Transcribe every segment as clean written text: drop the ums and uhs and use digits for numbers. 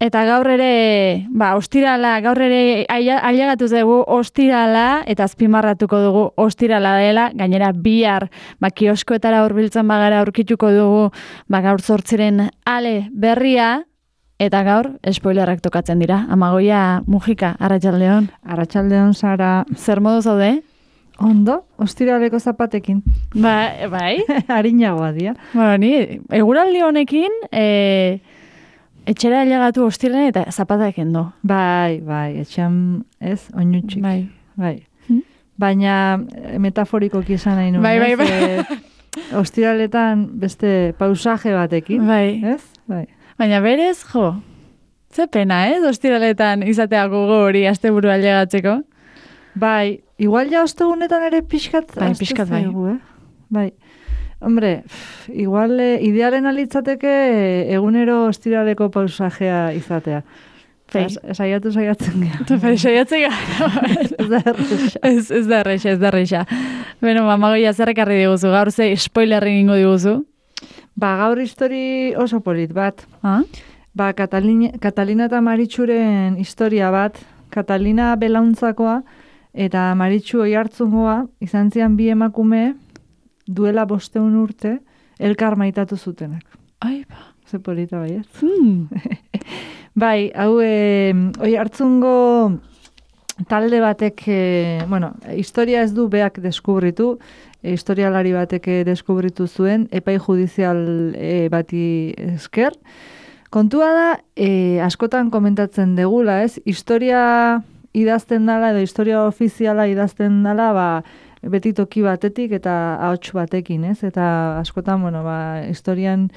Eta gaur ere, ostirala, gaur ere ailegatu dugu ostirala, eta azpimarratuko dugu ostirala dela, gainera bihar, kioskoetara hurbiltzen bagara aurkituko dugu, gaur 8 ale berria, eta gaur spoilerrak tokatzen dira. Amagoia Mujika, arratsaldeon. Arratsaldeon, Sara. Zer modu zaude? Ondo, ostiraleko zapatekin. Bai. Arinagoa dira. Ni eguraldi honekin, etxera ailegatu ostiralen eta zapatak endo. Bai, etxean ez, oinutxik. Bai. Baina metaforikoki esan nahi nuen. Bai. Ostiraletan beste pausaje batekin. Bai. Ez? Bai. Baina berez, ze pena, ostiraletan izateako hori asteburu ailegatzeko. Bai, igual ja ostegunetan ere pixkat. Bai, pixkat bai. Bai. Hombre, igual idealen alitzateke egunero ostiraleko pausajea izatea. Saiatzen gara. Saiatzen gara. Ez da erreixa. Beno, Amagoia, zer ekarri diguzu? Gaur ze spoilerri egingo diguzu? Gaur histori oso polit bat. Katalina eta Maritxuren historia bat. Katalina belauntzakoa eta Maritxu Oiartzungoa izan zian bi emakume duela 500 urte elkar maitatu zutenak. Ze polita bai ez? Bai, hau Oiartzungo talde batek, historia ez du beak deskubritu, historialari batek deskubritu zuen, epai judizial bati esker. Kontua da, askotan komentatzen degula, ez? Historia idazten dala edo historia ofiziala idazten dala, beti toki batetik eta ahots batekin, ez? Eta askotan, historian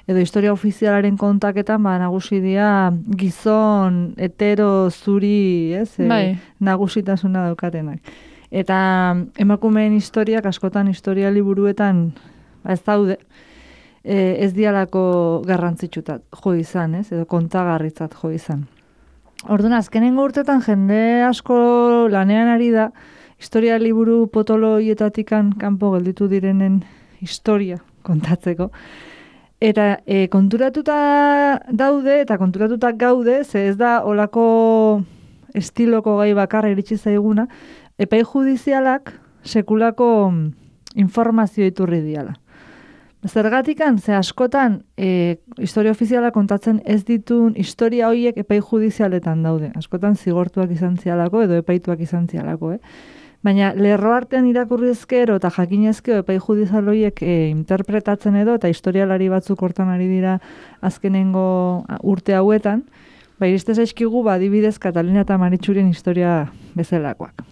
edo historia ofizialaren kontaketan nagusi dira gizon hetero zuri, ez? Nagusitasuna daukatenak. Eta emakumeen historiak askotan historia liburuetan ez daude, ez dialako garrantzitsutat jo izan, ez? Edo kontagarritzat jo izan. Orduan, azkenengo urtetan jende asko lanean ari da, historia liburu potoloietatikan kanpo gelditu direnen historia kontatzeko. Eta konturatuta daude eta konturatuta gaude, ze ez da olako estiloko gai bakarra iritsi zaiguna, epai judizialak sekulako informazio iturri diala. Zergatikan, ze askotan historia ofiziala kontatzen ez ditun historia horiek epai judizialetan daude. Askotan zigortuak izan zialako edo epaituak izan zialako, Baina lerro artean irakurri ezkero eta jakinezkeo epai judizial horiek interpretatzen edo eta historialari batzuk hortan ari dira azkenengo urte hauetan, iriste zaizkigu adibidez Katalina eta Maritxuren historia bezalakoak.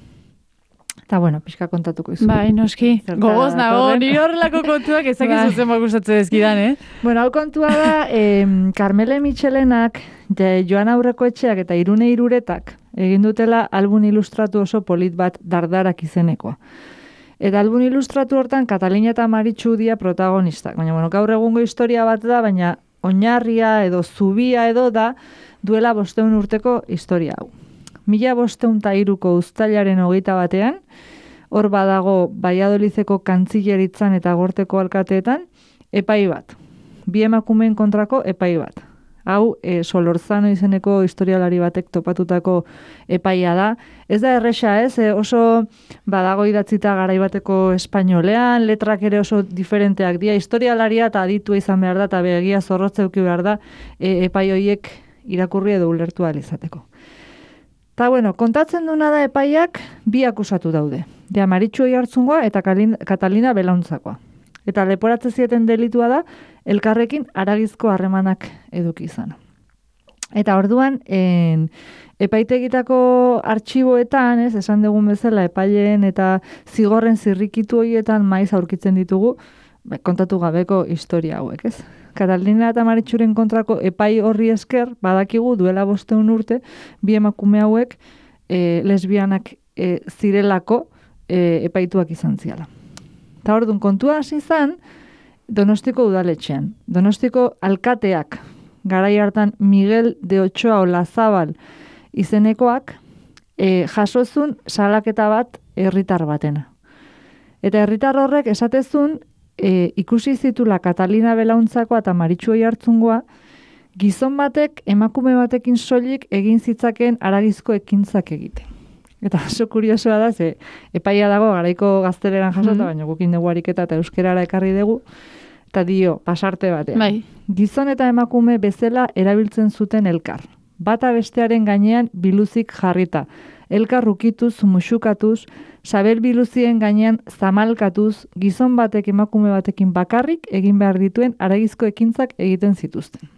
Eta pixka kontatuko izu. Bai, noski. Gogoz nago, nire horrelako kontuak ezakizu zen gustatzen dezkidan, Hau kontua da, Carmele Michelenak, Joan Aurrekoetxeak eta Irune Iruretak egin dutela album ilustratu oso polit bat Dardarak izenekoa. Eta album ilustratu hortan Katalina eta Maritxu dira protagonistak. Baina, gaur egungo historia bat da, baina oinarria edo zubia edo da duela 500 urteko historia hau. 1503ko uztailaren 21, hor badago Valladolideko kantzileritzan eta Gorteko alkateetan, epai bat. Bi emakumeen kontrako epai bat. Hau, Solorzano izeneko historialari batek topatutako epaia da. Ez da erresa, oso badago idatzita garaibateko espainolean, letrak ere oso diferenteak dira. Historialaria eta aditua izan behar da, eta begia zorrotza eduki behar da, epai horiek irakurri edo ulertu ahal izateko. Eta, kontatzen duna da epaiak bi akusatu daude. Maritxu Oiartzungoa eta Katalina belauntzakoa. Eta leporatze zieten delitua da, elkarrekin haragizko harremanak eduki izan. Eta orduan, epaitegitako artxiboetan, esan dugun bezala, epaileen eta zigorren zirrikitu horietan maiz aurkitzen ditugu, kontatu gabeko historia hauek, ez? Katalina eta Maritxuren kontrako epai horri esker, badakigu duela 500 urte, bi emakume hauek lesbianak zirelako epaituak izan ziala. Eta orduan, kontua hasi izan, Donostiko udaletxean. Donostiko alkateak, garai hartan Miguel de Ochoa Olazabal izenekoak, jasozun salaketa bat herritar batena. Eta herritar horrek esatezun, ikusi zitula Katalina belauntzakoa eta Maritxu Oiartzungoa, gizon batek emakume batekin soilik egin zitzaken haragizko ekintzak egiten. Eta oso kuriosoa da, ze epaia dago garaiko gazteleran jasota, baina gukin dugu ariketa eta euskerara ekarri dugu, eta dio, pasarte batean. Bai. Gizon eta emakume bezala erabiltzen zuten elkar. Bata bestearen gainean biluzik jarrita. Elkar rukituz, muxukatuz, sabel biluzien gainean zamalkatuz, gizon batek emakume batekin bakarrik egin behar dituen haragizko ekintzak egiten zituzten.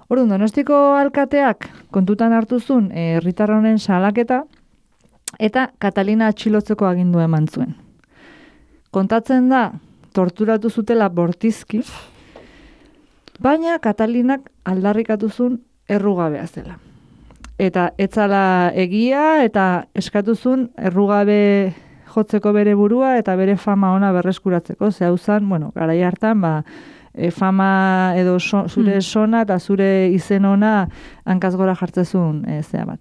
Orduan, Donostiko alkateak kontutan hartuzun herritar honen salaketa eta Katalina atxilotzeko agindua eman zuen. Kontatzen da, torturatu zutela bortizki, baina Katalinak aldarrikatu zuen errugabea zela. Eta etzala egia eta eskatuzun errugabe jotzeko bere burua eta bere fama ona berreskuratzeko. Ze hau zan, garai hartan, fama edo zure sona eta zure izen ona hankaz gora jartzezun zea bat.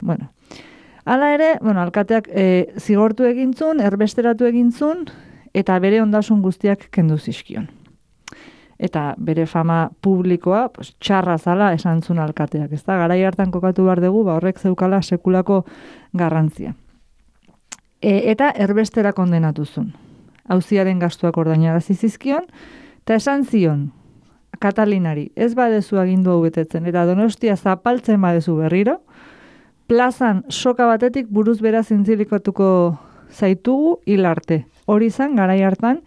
Hala ere, alkateak zigortu egintzun, erbesteratu egintzun, eta bere ondasun guztiak kendu zizkion. Eta bere fama publikoa txarra zala esan zuen alkateak. Ez da, garai hartan kokatu behar dugu, horrek zeukala sekulako garrantzia. Eta erbestera kondenatu zuen. Auziaren gastuak ordainarazi zizkion, eta esan zion, Katalinari, ez badezu agindu hau betetzen, eta Donostia zapaltzen badezu berriro, plazan soka batetik buruz bera zintzilikatuko zaitugu hilarte. Hori zan, garai hartan,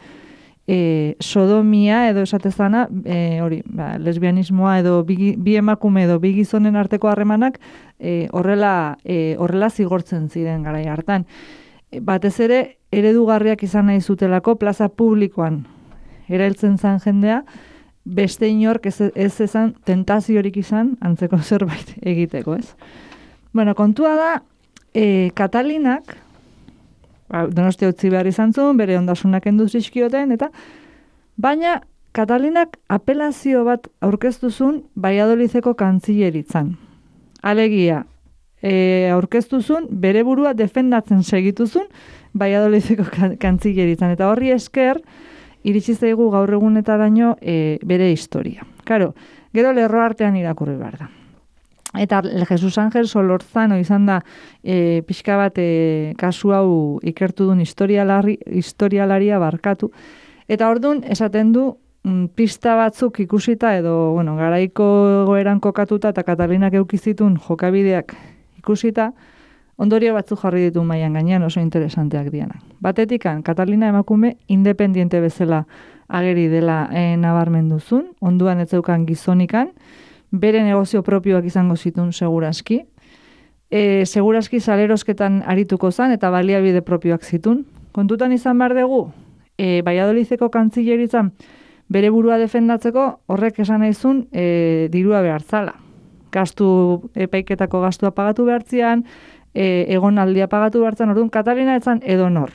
sodomia edo esatezana, lesbianismoa edo bi emakume edo bi gizonen arteko harremanak horrela zigortzen ziren garai hartan. Batez ere, eredugarriak izan nahi zutelako plaza publikoan erailtzen zan jendea, beste inork ez ezan tentaziorik izan antzeko zerbait egiteko, ez? Kontua da, Katalinak, Donostia utzi behar izan zuen, bere ondasunak kendu zizkioten, baina Katalinak apelazio bat aurkeztu zuen Valladolideko kantzileritzan. Alegia, aurkeztu zuen bere burua defendatzen segitu zuen Valladolideko kantzileritzan. Eta horri esker, iritsi zaigu gaur egunetaraino bere historia. Karo, gero lerro artean irakurri behar da. Eta Jesus Ángel Solorzano izan da pixka bat kasu hau ikertu duen historialaria barkatu. Eta orduan esaten du pista batzuk ikusita edo garaiko egoeran kokatuta eta Katalinak eukizitun jokabideak ikusita, ondorio batzuk jarri ditu mailan gainean oso interesanteak dianak. Batetikan, Katalina emakume independiente bezala ageri dela nabarmenduzun, onduan ez zeukan gizonikan, bere negozio propioak izango zitun seguraski. Seguraski salerosketan arituko zan eta baliabide propioak zitun. Kontutan izan behar dugu, Valladolideko kantzileritzan bere burua defendatzeko horrek esan nahizun dirua behartzala. Epaiketako gastua pagatu behartzian, egonaldia pagatu behartzen, orduan Katalina etzan edonor.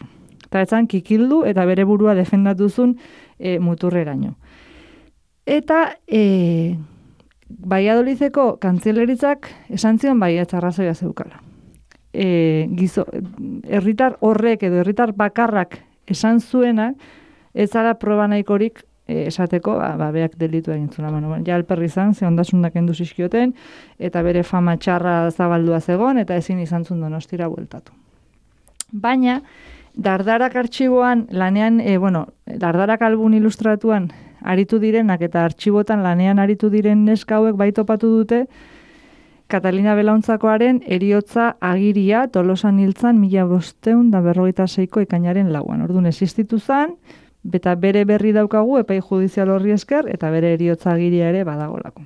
Eta etzan kikildu eta bere burua defendatuzun muturreraino. Eta Valladolideko kantzileritzak esan zion baietz arrazoia zeukala. Herritar horrek edo herritar bakarrak esan zuenak ez zara proba nahikorik esateko, beak delitu egin zuna. Ja alperri izan, ze ondasunak kendu zizkioten, eta bere fama txarra zabaldua zegon, eta ezin izan zuen Donostira bueltatu. Baina, Dardarak artxiboan lanean, Dardarak album ilustratuan aritu direnak eta artxibotan lanean aritu diren neska hauek bai topatu dute Katalina Belauntzakoaren heriotza agiria Tolosan hiltzan 1556ko ekainaren 4. Orduan existitu zan, eta bere berri daukagu epai judizial horri esker eta bere heriotza agiria ere badagolako.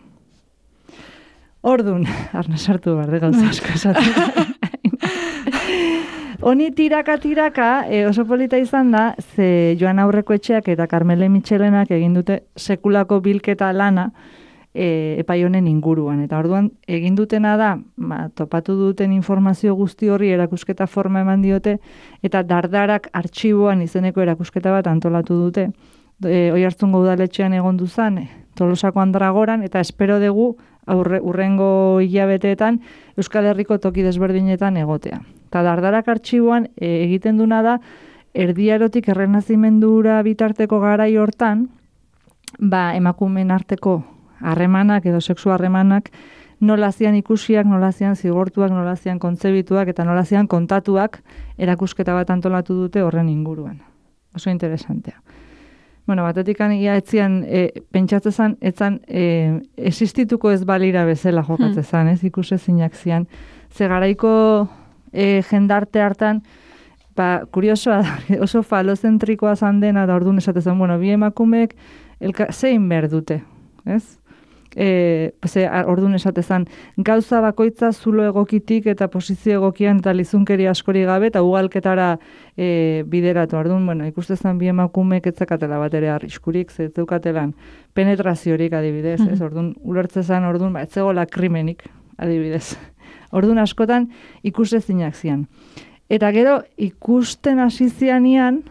Orduan, arna sartu behar de gauza asko esaten. Honi tiraka, oso polita izan da, ze Joan Aurrekoetxeak eta Carmele Mitxelenak egin dute sekulako bilketa lana epai honen inguruan. Eta orduan, egin dutena da, topatu duten informazio guzti horri erakusketa forma eman diote, eta Dardarak artxiboan izeneko erakusketa bat antolatu dute. Oiartzungo udaletxean egon duzan, Tolosako Andragoran, eta espero dugu urrengo hilabeteetan Euskal Herriko toki desberdinetan egotea. Eta Dardarak artxiboan egiten duna da, Erdiarotik Errenazimendura bitarteko garai hortan, emakumeen arteko harremanak edo sexu harremanak nola zian ikusiak, nola zian zigortuak, nola zian kontzebituak eta nola zian kontatuak erakusketa bat antolatu dute horren inguruan. Oso interesantea. Bueno, batetik ia etzian pentsatzezan, etzan existituko ez balira bezala jokatzezan, ez ikusezinak zian. Ze garaiko jendarte hartan, kuriosoa da, oso falozentrikoa zan dena, da orduan esatezan, bueno, bi emakumeek zein behar dute, ez? Orduan esatezan, gauza bakoitza zulo egokitik eta posizio egokian eta lizunkeri askori gabe eta ugalketara bideratu. Orduan, bueno, ikustezan bi emakumeek etzakatela bat ere arriskurik, zeukatelan penetraziorik adibidez, ez? Orduan, ulertzezan, orduan, etzegola krimenik adibidez. Orduan askotan ikusezinak zian. Eta gero, ikusten hasi zianian,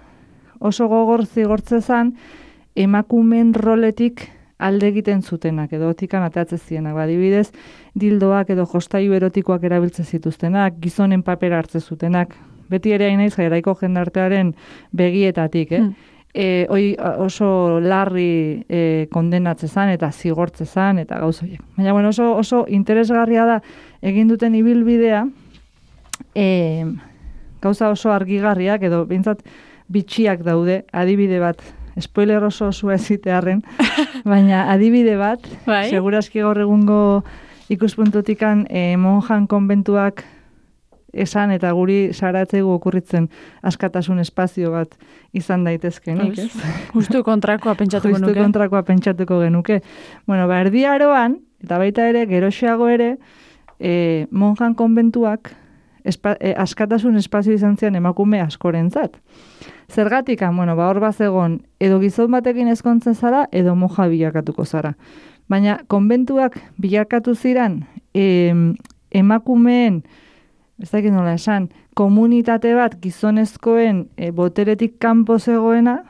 oso gogor zigortzezan, emakumeen roletik alde egiten zutenak, edo otikan ateatzen zienak. Adibidez, dildoak edo jostailu erotikoak erabiltzen zituztenak, gizonen papera hartzen zutenak. Beti ere hain naiz garaiko jendartearen begietatik, oso larri kondenatzezan eta zigortzezan eta gauzoiek. Baina, bueno, oso interesgarria da egin duten ibilbidea, gauza oso argigarriak edo behintzat bitxiak daude, adibide bat, spoiler oso osua ezitearren, baina adibide bat, segurazki gaur egungo ikuspuntutikan monjan konbentuak esan eta guri saratzegu okurritzen askatasun espazio bat izan daitezkenik, ez? Justu kontrakoa pentsatuko nuke. Justu kontrakoa pentsatuko genuke. Bueno, erdi aroan, eta baita ere, geroxeago ere, monjan konbentuak askatasun espazio izan zian emakume askorentzat. Zergatik, bueno, hor bazegon, edo gizon batekin ezkontzen zara, edo moja bilakatuko zara. Baina, konbentuak bilakatu ziran, emakumeen, ez dakit nola esan, komunitate bat gizonezkoen boteretik kanpo zegoena,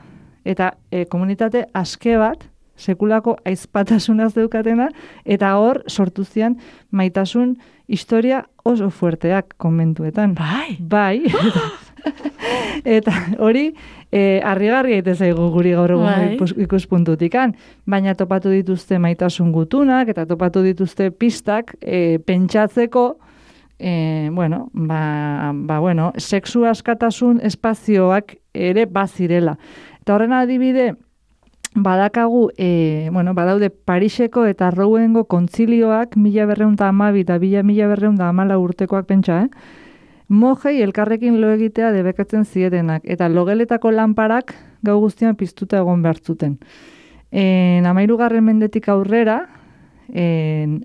eta komunitate aske bat, sekulako aizpatasunaz deukatena, eta hor sortu zian maitasun historia oso fuerteak konbentuetan. Bai. Eta hori harrigarria ite zaigu guri gaur egun ikuspuntutikan, baina topatu dituzte maitasun gutunak eta topatu dituzte pistak pentsatzeko sexu askatasun espazioak ere bazirela. Eta horren adibide badakagu, badaude Pariseko eta Rouengo kontzilioak 1912 eta 1914 urtekoak pentsa, mojei elkarrekin lo egitea debekatzen zietenak, eta logeletako lanparak gau guztian piztuta egon behartzuten. 13. mendetik aurrera,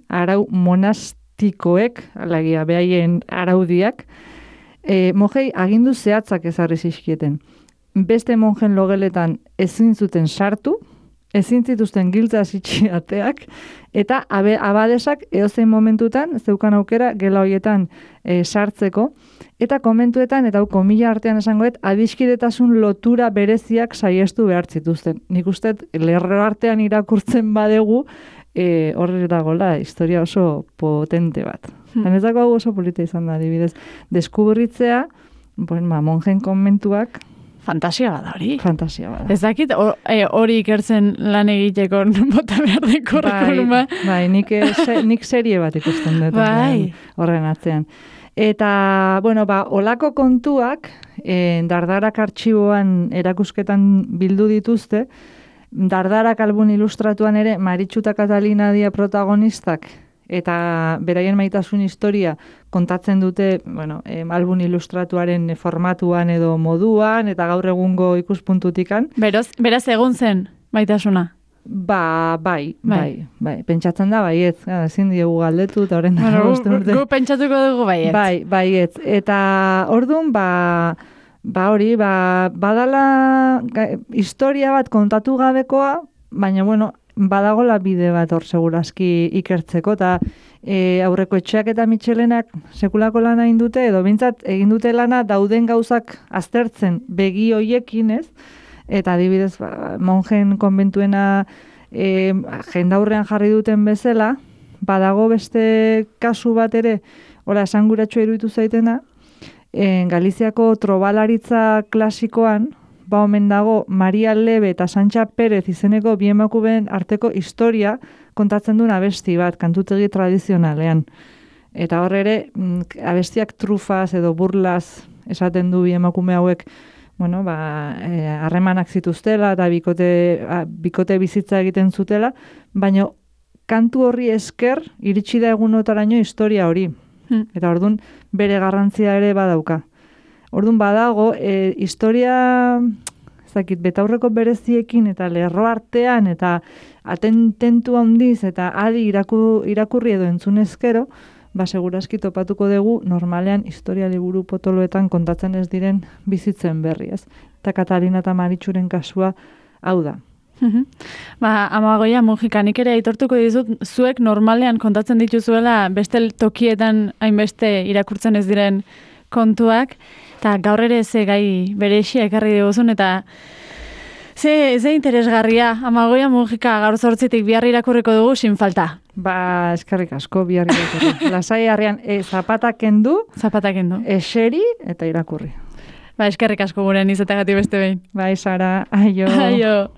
arau monastikoek, alagia behaien araudiak, mojei agindu zehatzak ezarri zizkieten. Beste monjen logeletan ezin zuten sartu, ezin zituzten giltza zitxiateak, eta abadesak edozein momentutan, zeukan aukera gela hoietan sartzeko, eta komentuetan, eta komila artean esangoet, adiskidetasun lotura bereziak saiestu behar zituzten. Nik uste, lerro artean irakurtzen badegu, horre dagoela, historia oso potente bat. Zanezako hau oso polita izan da, adibidez. Deskubritzea, monjen konmentuak, fantasia bada hori. Fantasia bada. Ez dakit hori ikertzen lan egiteko bota behar de kurrikuluma. Bai, nik serie bat ikusten dut horren atzean. Eta, olako kontuak Dardarak artxiboan erakusketan bildu dituzte. Dardarak album ilustratuan ere Maritxu eta Katalina dia protagonistak eta beraien maitasun historia kontatzen dute, album ilustratuaren formatuan edo moduan, eta gaur egungo ikuspuntutikan. Beraz egun zen maitasuna? Bai. Pentsatzen da baietz, ezin diegu galdetu, eta horren da urte. Gu pentsatuko dugu baietz. Baietz. Eta orduan, badala historia bat kontatu gabekoa, baina, badagola bide bat hor segurazki ikertzeko, eta aurreko etxeak eta Mitxelenak sekulako lana egin dute, edo bintzat egin dute lana dauden gauzak aztertzen begi hoiekin, ez? Eta adibidez, monjen konbentuena jendaurrean jarri duten bezala, badago beste kasu bat ere, esanguratxo iruditu zaitena, Galiziako trobalaritza klasikoan, ba omen dago Maria Lebe eta Santxa Perez izeneko bi emakumeen arteko historia kontatzen duen abesti bat, kantutegi tradizionalean. Eta hor ere, abestiak trufaz edo burlaz esaten du bi emakume hauek, bueno, harremanak zituztela eta bikote bizitza egiten zutela, baina kantu horri esker iritsi da egunotaraino historia hori. Eta ordun bere garrantzia ere badauka. Ordun badago, historia betaurreko bereziekin eta lerro artean eta atententu handiz eta adi irakurri edo entzunezkero, segurazki topatuko dugu normalean historia liburu potoloetan kontatzen ez diren bizitzen berri, ez? Eta Katalina eta Maritxuren kasua hau da. Amagoia Mujika, nik ere aitortuko dizut, zuek normalean kontatzen dituzuela beste tokietan hainbeste irakurtzen ez diren kontuak, eta gaur ere ze gai berexia ekarri diguzun, eta ze interesgarria, Amagoia Mujika gaur 8:00 bihar irakurriko dugu sin falta. Eskerrik asko bihar irakurri. Lasai harrian, zapatak kendu, eseri eta irakurri. Eskerrik asko guren izateagatik beste behin. Sara, aio. Aio.